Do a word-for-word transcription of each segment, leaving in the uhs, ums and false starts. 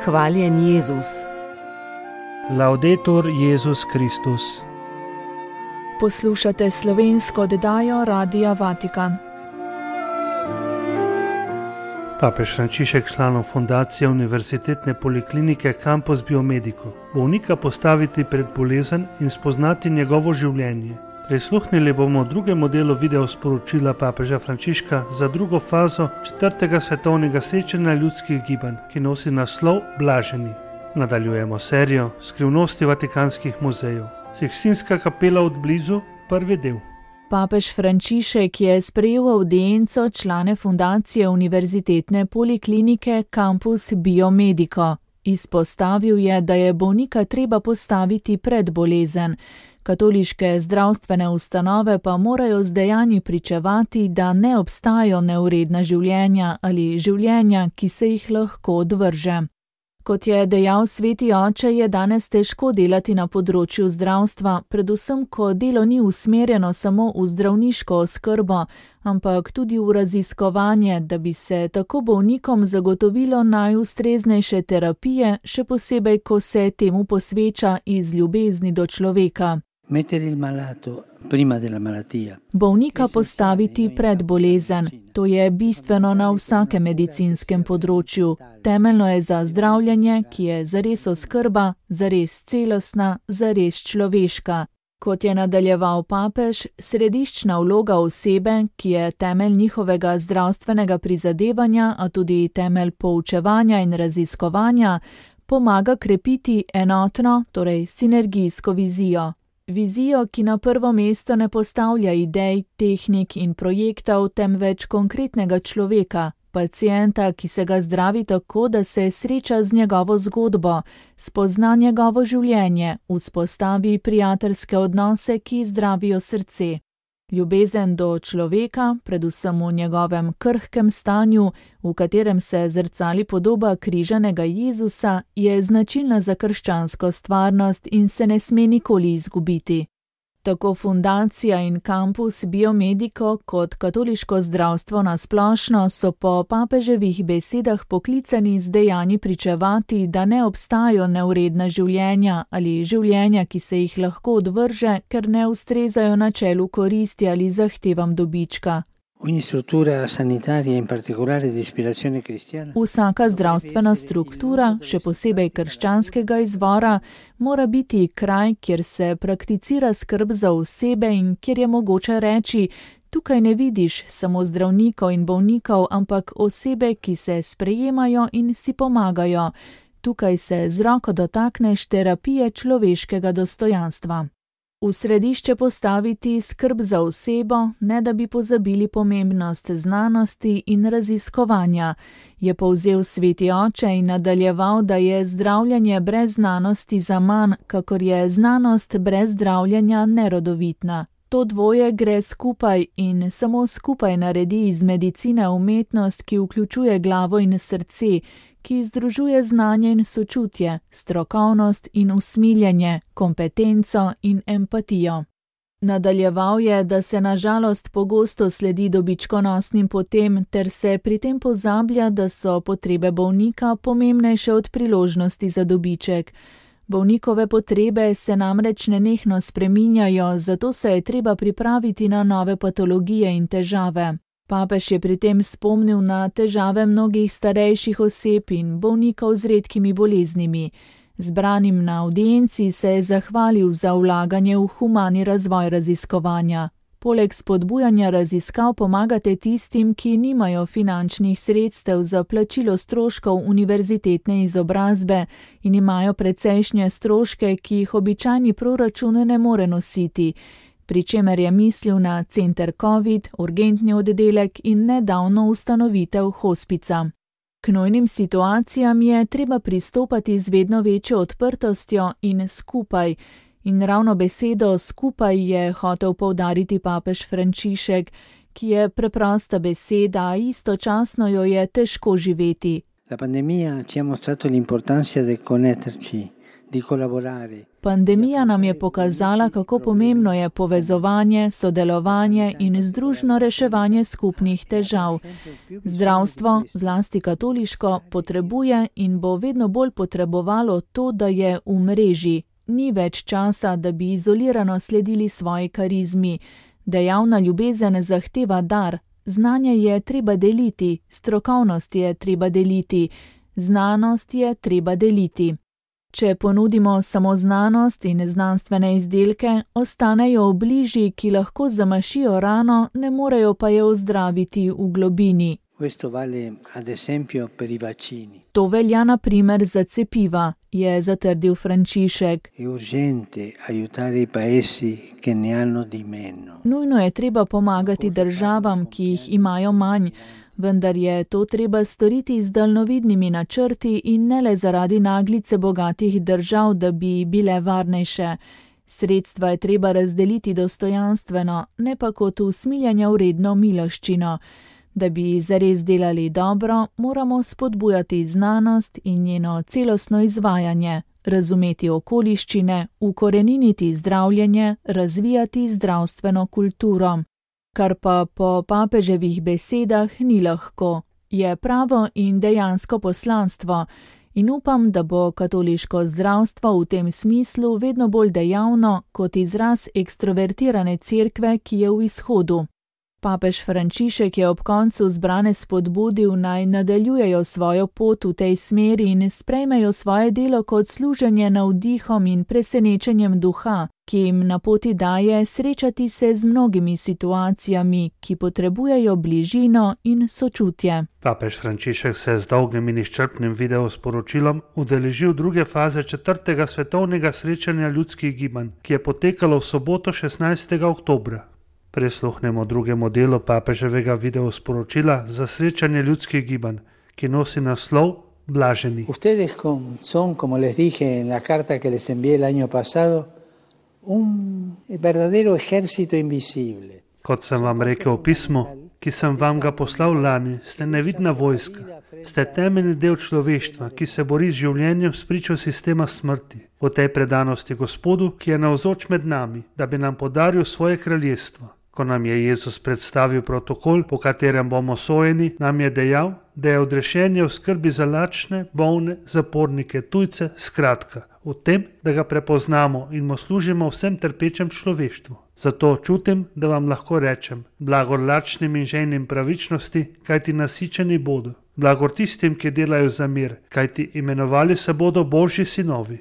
Hvaljen Jezus. Laudetur Jezus Kristus. Poslušate slovensko oddajo Radia Vatikan. Papež Frančišek članov fundacije Univerzitetne poliklinike Campus Biomedico bolnika postaviti pred bolezen in spoznati njegovo življenje. Prisluhnili bomo drugemu delu video sporočila papeža Frančiška za drugo fazo četrtega svetovnega srečanja ljudskih gibanj, ki nosi naslov Blaženi. Nadaljujemo serijo Skrivnosti vatikanskih muzejev. Sikstinska kapela od blizu, prvi del. Papež Frančišek je sprejel avdienco člane fundacije Univerzitetne poliklinike Campus Biomedico. Izpostavil je, da je bolnika treba postaviti pred bolezen. Katoliške zdravstvene ustanove pa morajo z dejanji pričevati, da ne obstajajo neuredna življenja ali življenja, ki se jih lahko odvrže. Kot je dejal sveti oče, je danes težko delati na področju zdravstva, predvsem ko delo ni usmerjeno samo v zdravniško oskrbo, ampak tudi v raziskovanje, da bi se tako bolnikom zagotovilo najustreznejše terapije, še posebej, ko se temu posveča iz ljubezni do človeka. Bolnika postaviti pred bolezen. To je bistveno na vsakem medicinskem področju. Temeljno je za zdravljenje, ki je zares oskrba, zares celostna, zares človeška. Kot je nadaljeval papež, središčna vloga osebe, ki je temelj njihovega zdravstvenega prizadevanja, a tudi temelj poučevanja in raziskovanja, pomaga krepiti enotno, torej sinergijsko vizijo. Vizijo, ki na prvo mesto ne postavlja idej, tehnik in projektov, temveč konkretnega človeka, pacienta, ki se ga zdravi tako, da se sreča z njegovo zgodbo, spozna njegovo življenje, vzpostavi prijateljske odnose, ki zdravijo srce. Ljubezen do človeka, predvsem v njegovem krhkem stanju, v katerem se zrcali podoba križanega Jezusa, je značilna za krščansko stvarnost in se ne sme nikoli izgubiti. Tako fundacija in Campus Biomedico kot katoliško zdravstvo na splošno so po papeževih besedah poklicani z dejanji pričevati, da ne obstajajo neuredna življenja ali življenja, ki se jih lahko odvrže, ker ne ustrezajo načelu koristi ali zahtevam dobička. Vsaka zdravstvena struktura, še posebej krščanskega izvora, mora biti kraj, kjer se prakticira skrb za osebe in kjer je mogoče reči, tukaj ne vidiš samo zdravnikov in bolnikov, ampak osebe, ki se sprejemajo in si pomagajo. Tukaj se z roko dotakneš terapije človeškega dostojanstva. V središče postaviti skrb za osebo, ne da bi pozabili pomembnost znanosti in raziskovanja, je povzel sveti oče in nadaljeval, da je zdravljenje brez znanosti zaman, kakor je znanost brez zdravljenja nerodovitna. To dvoje gre skupaj in samo skupaj naredi iz medicine umetnost, ki vključuje glavo in srce, ki združuje znanje in sočutje, strokovnost in usmiljenje, kompetenco in empatijo. Nadaljeval je, da se na žalost pogosto sledi dobičkonosnim potem, ter se pri tem pozablja, da so potrebe bolnika pomembnejše od priložnosti za dobiček. Bolnikove potrebe se namreč nenehno spreminjajo, zato se je treba pripraviti na nove patologije in težave. Papež je pri tem spomnil na težave mnogih starejših oseb in bolnikov z redkimi boleznimi. Zbranim na avdienci se je zahvalil za vlaganje v humani razvoj raziskovanja. Poleg spodbujanja raziskav pomagate tistim, ki nimajo finančnih sredstev za plačilo stroškov univerzitetne izobrazbe in imajo precejšnje stroške, ki jih običajni proračun ne more nositi, pri čemer je mislil na center COVID, urgentni oddelek in nedavno ustanovitev hospica. K nujnim situacijam je treba pristopati z vedno večjo odprtostjo in skupaj, in ravno besedo skupaj je hotel poudariti papež Frančišek, ki je preprosta beseda, a istočasno jo je težko živeti. La pandemia ci ha mostrato l'importanza di connetterci, di collaborare. Pandemija nam je pokazala, kako pomembno je povezovanje, sodelovanje in združno reševanje skupnih težav. Zdravstvo, zlasti katoliško, potrebuje in bo vedno bolj potrebovalo to, da je v mreži. Ni več časa, da bi izolirano sledili svoji karizmi. Dejavna ljubezen zahteva dar. Znanje je treba deliti, strokovnost je treba deliti, znanost je treba deliti. Če ponudimo samo znanost in znanstvene izdelke, ostanejo v bližji, ki lahko zamašijo rano, ne morejo pa je ozdraviti v globini. To velja na primer za cepiva, je zatrdil Frančišek. Nujno je treba pomagati državam, ki jih imajo manj, vendar je to treba storiti z daljnovidnimi načrti in ne le zaradi naglice bogatih držav, da bi bile varnejše. Sredstva je treba razdeliti dostojanstveno, ne pa kot usmiljanja vredno miloščino. Da bi zares delali dobro, moramo spodbujati znanost in njeno celostno izvajanje, razumeti okoliščine, ukoreniniti zdravljenje, razvijati zdravstveno kulturo. Kar pa po papeževih besedah ni lahko, je pravo in dejansko poslanstvo in upam, da bo katoliško zdravstvo v tem smislu vedno bolj dejavno kot izraz ekstrovertirane cerkve, ki je v izhodu. Papež Frančišek je ob koncu zbrane spodbudil, naj nadaljujejo svojo pot v tej smeri in sprejmejo svoje delo kot služenje navdihom in presenečenjem duha, ki jim na poti daje srečati se z mnogimi situacijami, ki potrebujejo bližino in sočutje. Papež Frančišek se je z dolgim in izčrpnim videosporočilom udeležil druge faze četrtega svetovnega srečanja ljudskih gibanj, ki je potekalo v soboto šestnajstega oktobra. Prisluhnemo drugemu delu papeževega videosporočila za srečanje ljudskih gibanj, ki nosi naslov Blaženi. Ustedes son, como les dije en la carta que les envié el año pasado, un verdadero ejército invisible. Kot sem vam rekel v pismu, ki sem vam ga poslal lani, ste nevidna vojska, ste temeljni del človeštva, ki se bori z življenjem spričo sistema smrti. V tej predanosti Gospodu, ki je navzoč med nami, da bi nam podaril svoje kraljestvo. Ko nam je Jezus predstavil protokol, po katerem bomo sojeni, nam je dejal, da je odrešenje v skrbi za lačne, bolne, zapornike, tujce, skratka, v tem, da ga prepoznamo in mu služimo vsem trpečem človeštvu. Zato čutim, da vam lahko rečem, blagor lačnim in žejnim pravičnosti, kajti nasičeni bodo. Blagor tistim, ki delajo za mir, kajti imenovali se bodo Božji sinovi.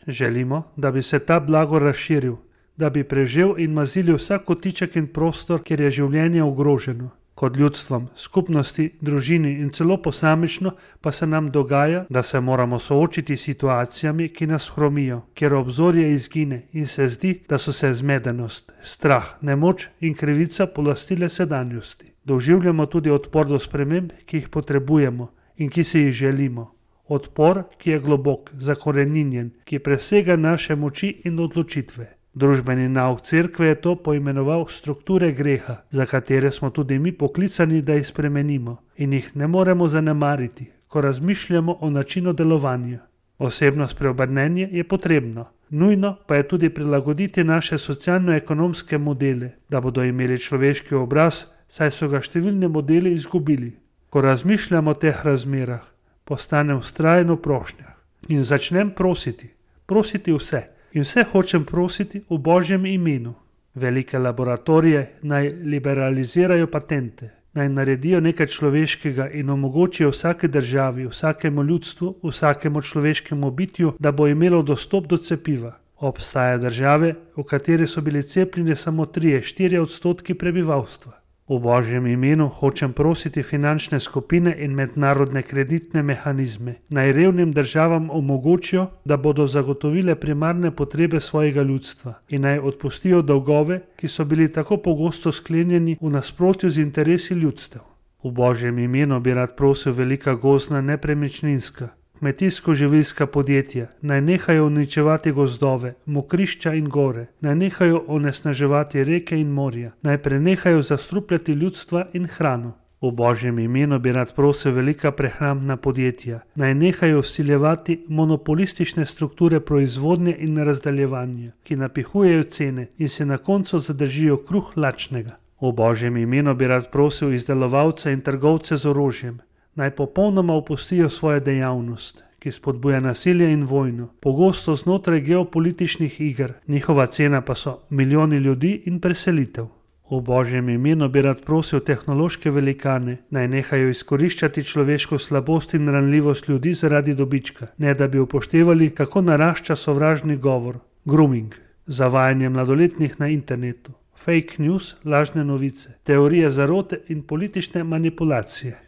Želimo, da bi se ta blagor razširil, da bi prežel in mazili vsak kotiček in prostor, kjer je življenje ogroženo. Kot ljudstvom, skupnosti, družini in celo posamično pa se nam dogaja, da se moramo soočiti s situacijami, ki nas hromijo, kjer obzorje izgine in se zdi, da so se zmedenost, strah, nemoč in krivica polastile sedanjosti. Doživljamo tudi odpor do sprememb, ki jih potrebujemo in ki si jih želimo. Odpor, ki je globok, zakoreninjen, ki presega naše moči in odločitve. Družbeni nauk cerkve je to poimenoval strukture greha, za katere smo tudi mi poklicani, da jih spremenimo in jih ne moremo zanemariti, ko razmišljamo o načinu delovanja. Osebno spreobrnenje je potrebno, nujno pa je tudi prilagoditi naše socialno-ekonomske modele, da bodo imeli človeški obraz, saj so ga številni modeli izgubili. Ko razmišljamo o teh razmerah, postanem vztrajen v prošnjah in začnem prositi, prositi vse. In vse hočem prositi v Božjem imenu. Velike laboratorije naj liberalizirajo patente, naj naredijo nekaj človeškega in omogočijo vsake državi, vsakemu ljudstvu, vsakemu človeškemu bitju, da bo imelo dostop do cepiva. Obstaja države, v kateri so bili cepljeni samo tri do štiri odstotki prebivalstva. V Božjem imenu hočem prositi finančne skupine in mednarodne kreditne mehanizme, naj revnim državam omogočijo, da bodo zagotovile primarne potrebe svojega ljudstva in naj odpustijo dolgove, ki so bili tako pogosto sklenjeni v nasprotju z interesi ljudstev. V Božjem imenu bi rad prosil velika gozdna nepremičninska, kmetijsko-živilska podjetja, naj nehajo uničevati gozdove, mokrišča in gore, naj nehajo onesnaževati reke in morja, naj prenehajo zastrupljati ljudstva in hrano. V Božjem imenu bi rad prosil velika prehrambna podjetja, naj nehajo vsiljevati monopolistične strukture proizvodnje in razdaljevanja, ki napihujejo cene in se na koncu zadržijo kruh lačnega. V Božjem imenu bi rad prosil izdelovalce in trgovce z orožjem, naj popolnoma opustijo svojo dejavnost, ki spodbuja nasilje in vojno, pogosto znotraj geopolitičnih iger, njihova cena pa so milijoni ljudi in preselitev. V Božjem imenu bi rad prosil tehnološke velikane, naj nehajo izkoriščati človeško slabost in ranljivost ljudi zaradi dobička, ne da bi upoštevali, kako narašča sovražni govor, grooming, zavajanje mladoletnih na internetu, fake news, lažne novice, teorije zarote in politične manipulacije.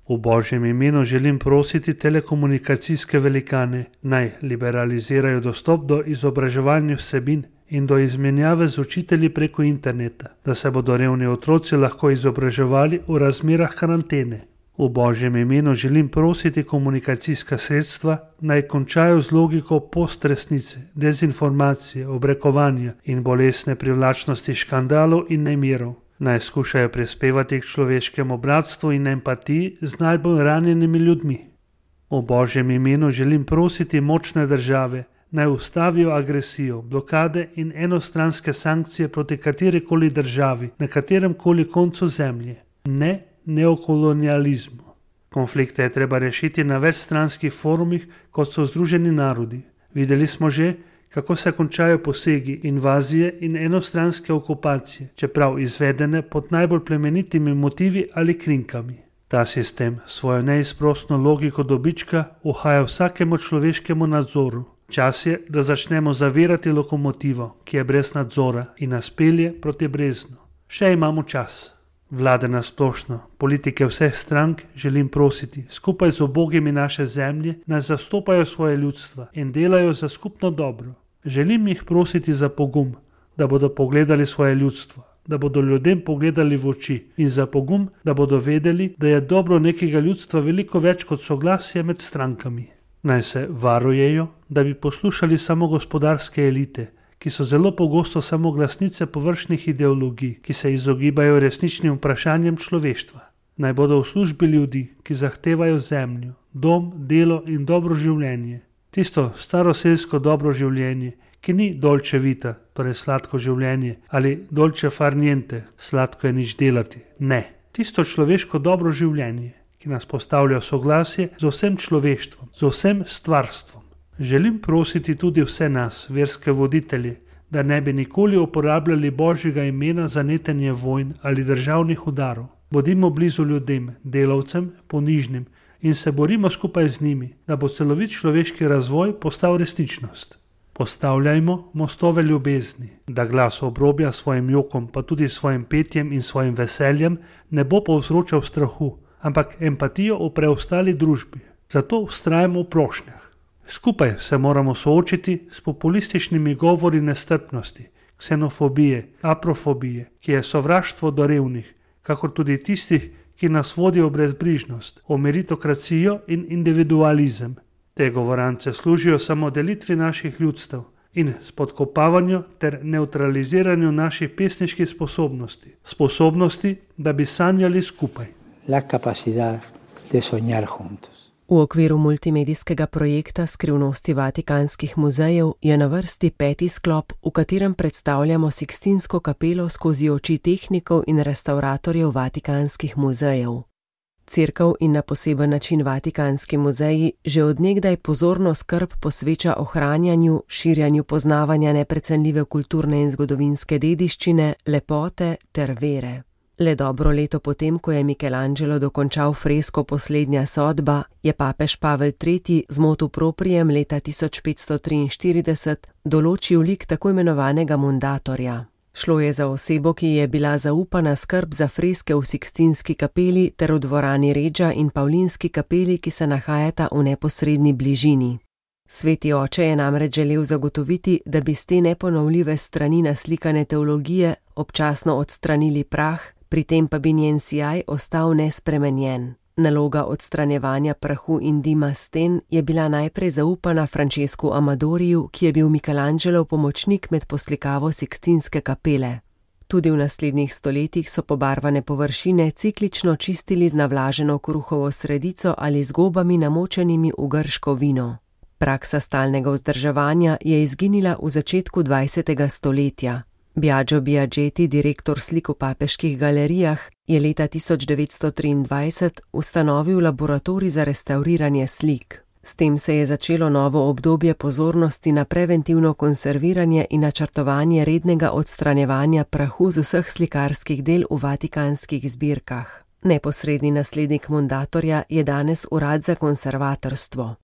V Božjem imenu želim prositi telekomunikacijske velikane, naj liberalizirajo dostop do izobraževalnih vsebin in do izmenjave z učitelji preko interneta, da se bodo revni otroci lahko izobraževali v razmerah karantene. V Božjem imenu želim prositi komunikacijska sredstva, naj končajo z logiko postresnice, dezinformacije, obrekovanja in bolesne privlačnosti škandalov in nemirov. Naj skušajo prispevati k človeškemu bratstvu in empatiji z najbolj ranjenimi ljudmi. V Božjem imenu želim prositi močne države, naj ustavijo agresijo, blokade in enostranske sankcije proti katerikoli državi na katerem koli koncu zemlje. Ne neokolonializmu. Konflikte je treba rešiti na večstranskih forumih, kot so Združeni narodi. Videli smo že, kako se končajo posegi, invazije in enostranske okupacije, čeprav izvedene pod najbolj plemenitimi motivi ali krinkami. Ta sistem svojo neizprosno logiko dobička uhaja vsakemu človeškemu nadzoru. Čas je, da začnemo zavirati lokomotivo, ki je brez nadzora in nas pelje proti breznu. Še imamo čas. Vlade na splošno, politike vseh strank želim prositi, skupaj z ubogimi naše zemlje, naj zastopajo svoje ljudstva in delajo za skupno dobro. Želim jih prositi za pogum, da bodo pogledali svoje ljudstvo, da bodo ljudem pogledali v oči in za pogum, da bodo vedeli, da je dobro nekega ljudstva veliko več kot soglasje med strankami. Naj se varujejo, da bi poslušali samo gospodarske elite, ki so zelo pogosto samo glasnice površnih ideologij, ki se izogibajo resničnim vprašanjem človeštva. Naj bodo v službi ljudi, ki zahtevajo zemljo, dom, delo in dobro življenje. Tisto staroselsko dobro življenje, ki ni dolce vita, torej sladko življenje, ali dolce far niente, sladko je nič delati. Ne, tisto človeško dobro življenje, ki nas postavlja v soglasje z vsem človeštvom, z vsem stvarstvom. Želim prositi tudi vse nas, verske voditelje, da ne bi nikoli uporabljali Božjega imena za netenje vojn ali državnih udarov. Bodimo blizu ljudem, delavcem, ponižnim in se borimo skupaj z njimi, da bo celovit človeški razvoj postal resničnost. Postavljajmo mostove ljubezni, da glas obrobja svojim jokom, pa tudi svojim petjem in svojim veseljem ne bo povzročal strahu, ampak empatijo v preostali družbi. Zato vztrajamo v prošnjah. Skupaj se moramo soočiti s populističnimi govori nestrpnosti, ksenofobije, aprofobije, ki je sovraštvo do revnih, kakor tudi tistih, ki nas vodijo v brezbrižnost, v meritokracijo in individualizem. Te govorance služijo samo delitvi naših ljudstev in spodkopavanju ter neutraliziranju naših pesniških sposobnosti, sposobnosti, da bi sanjali skupaj. La capacidad de soñar juntos. V okviru multimedijskega projekta Skrivnosti vatikanskih muzejev je na vrsti peti sklop, v katerem predstavljamo Sikstinsko kapelo skozi oči tehnikov in restavratorjev vatikanskih muzejev. Cerkev in na poseben način Vatikanski muzeji že od nekdaj pozorno skrb posveča ohranjanju, širjanju poznavanja neprecenljive kulturne in zgodovinske dediščine, lepote ter vere. Le dobro leto potem, ko je Michelangelo dokončal fresko Poslednja sodba, je papež Pavel tretji z motu proprijem leta tisoč petsto triinštirideset določil lik tako imenovanega mundatorja. Šlo je za osebo, ki je bila zaupana skrb za freske v Sikstinski kapeli ter v dvorani Reggia in Pavlinski kapeli, ki se nahajata v neposredni bližini. Sveti oče je namreč želel zagotoviti, da bi s te neponovljive strani naslikane teologije občasno odstranili prah, pri tem pa bi njen sijaj ostal nespremenjen. Naloga odstranjevanja prahu in dima sten je bila najprej zaupana Francesku Amadoriju, ki je bil Michelangelov pomočnik med poslikavo Sikstinske kapele. Tudi v naslednjih stoletjih so pobarvane površine ciklično čistili z navlaženo kruhovo sredico ali z gobami namočenimi v grško vino. Praksa stalnega vzdrževanja je izginila v začetku dvajsetega stoletja. Biagio Biagetti, direktor slik v papeških galerijah, je leta tisoč devetsto triindvajset ustanovil laboratorij za restavriranje slik. S tem se je začelo novo obdobje pozornosti na preventivno konserviranje in načrtovanje rednega odstranjevanja prahu z vseh slikarskih del v vatikanskih zbirkah. Neposredni naslednik Mundatorja je danes Urad za konservatorstvo.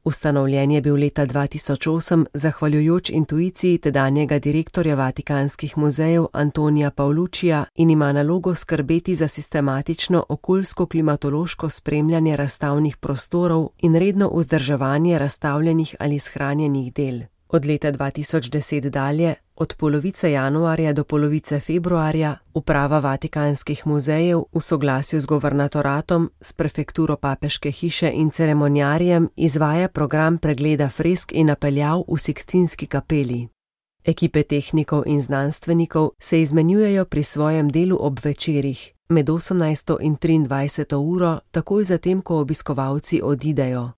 Ustanovljen je bil leta dva tisoč osem zahvaljujoč intuiciji tedanjega direktorja Vatikanskih muzejev Antonija Paoluccija in ima nalogo skrbeti za sistematično okoljsko-klimatološko spremljanje razstavnih prostorov in redno vzdrževanje razstavljenih ali shranjenih del. Od leta dva tisoč deset dalje, od polovice januarja do polovice februarja, uprava Vatikanskih muzejev v soglasju z governatoratom, s prefekturo papeške hiše in ceremonjarjem izvaja program pregleda fresk in napeljav v Sikstinski kapeli. Ekipe tehnikov in znanstvenikov se izmenjujejo pri svojem delu ob večerih, med osemnajsto in triindvajseto uro, takoj zatem, ko obiskovalci odidejo.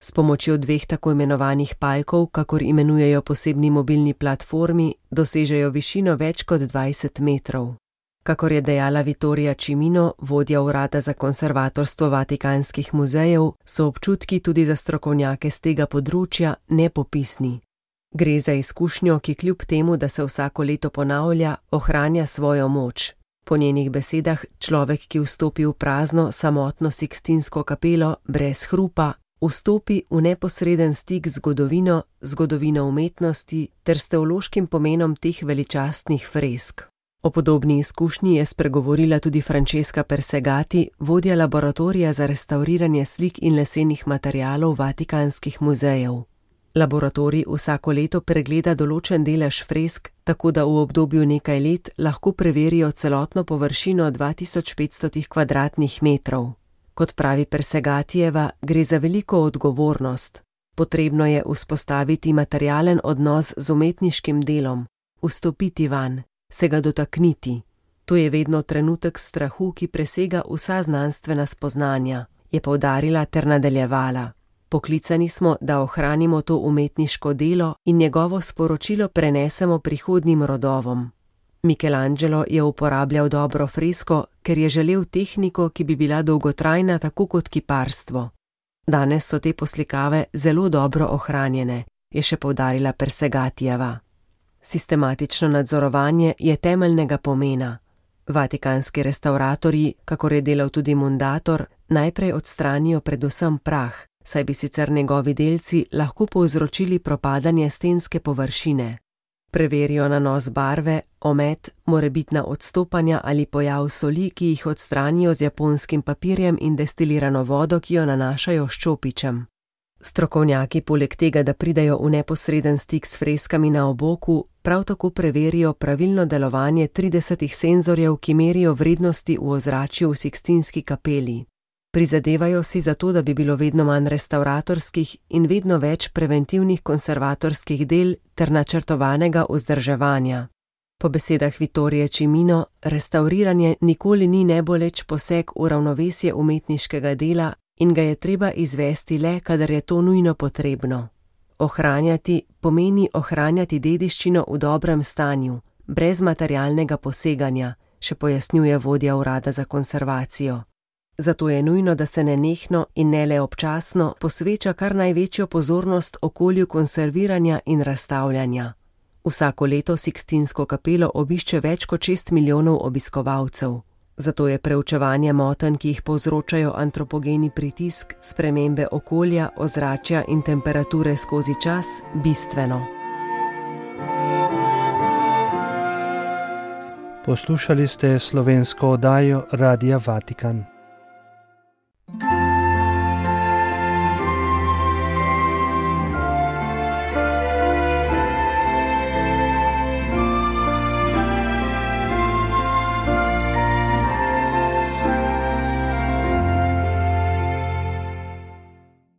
S pomočjo dveh tako imenovanih pajkov, kakor imenujejo posebni mobilni platformi, dosežejo višino več kot dvajset metrov. Kakor je dejala Vittoria Cimino, vodja urada za konservatorstvo Vatikanskih muzejev, so občutki tudi za strokovnjake z tega področja nepopisni. Gre za izkušnjo, ki kljub temu, da se vsako leto ponavlja, ohranja svojo moč. Po njenih besedah, človek, ki vstopi v prazno, samotno Sikstinsko kapelo, brez hrupa, vstopi v neposreden stik z zgodovino, zgodovino umetnosti ter s teološkim pomenom teh veličastnih fresk. O podobni izkušnji je spregovorila tudi Francesca Persegati, vodja laboratorija za restavriranje slik in lesenih materialov Vatikanskih muzejev. Laboratorij vsako leto pregleda določen delež fresk, tako da v obdobju nekaj let lahko preverijo celotno površino dva tisoč petsto kvadratnih metrov. Kot pravi Persegatijeva, gre za veliko odgovornost. Potrebno je vzpostaviti materialen odnos z umetniškim delom, vstopiti vanj, se ga dotakniti. To je vedno trenutek strahu, ki presega vsa znanstvena spoznanja, je poudarila ter nadaljevala. Poklicani smo, da ohranimo to umetniško delo in njegovo sporočilo prenesemo prihodnjim rodovom. Michelangelo je uporabljal dobro fresko, ker je želel tehniko, ki bi bila dolgotrajna tako kot kiparstvo. Danes so te poslikave zelo dobro ohranjene, je še poudarila Persegatijeva. Sistematično nadzorovanje je temeljnega pomena. Vatikanski restavratorji, kakor je delal tudi Mundator, najprej odstranijo predvsem prah, saj bi sicer njegovi delci lahko povzročili propadanje stenske površine. Preverijo nanos barve, omet, morebitna odstopanja ali pojav soli, ki jih odstranijo z japonskim papirjem in destilirano vodo, ki jo nanašajo s čopičem. Strokovnjaki poleg tega, da pridejo v neposreden stik s freskami na oboku, prav tako preverijo pravilno delovanje tridesetih senzorjev, ki merijo vrednosti v ozračju v Sikstinski kapeli. Prizadevajo si za to, da bi bilo vedno manj restavratorskih in vedno več preventivnih konservatorskih del ter načrtovanega vzdrževanja. Po besedah Vittorije Cimino, restavriranje nikoli ni neboleč poseg v ravnovesje umetniškega dela in ga je treba izvesti le, kadar je to nujno potrebno. Ohranjati pomeni ohranjati dediščino v dobrem stanju, brez materialnega poseganja, še pojasnjuje vodja urada za konservacijo. Zato je nujno, da se nenehno in ne le občasno posveča kar največjo pozornost okolju konserviranja in razstavljanja. Vsako leto Sikstinsko kapelo obišče več kot šest milijonov obiskovalcev. Zato je preučevanje motenj, ki jih povzročajo antropogeni pritisk, spremembe okolja, ozračja in temperature skozi čas, bistveno. Poslušali ste slovensko oddajo Radia Vatikan.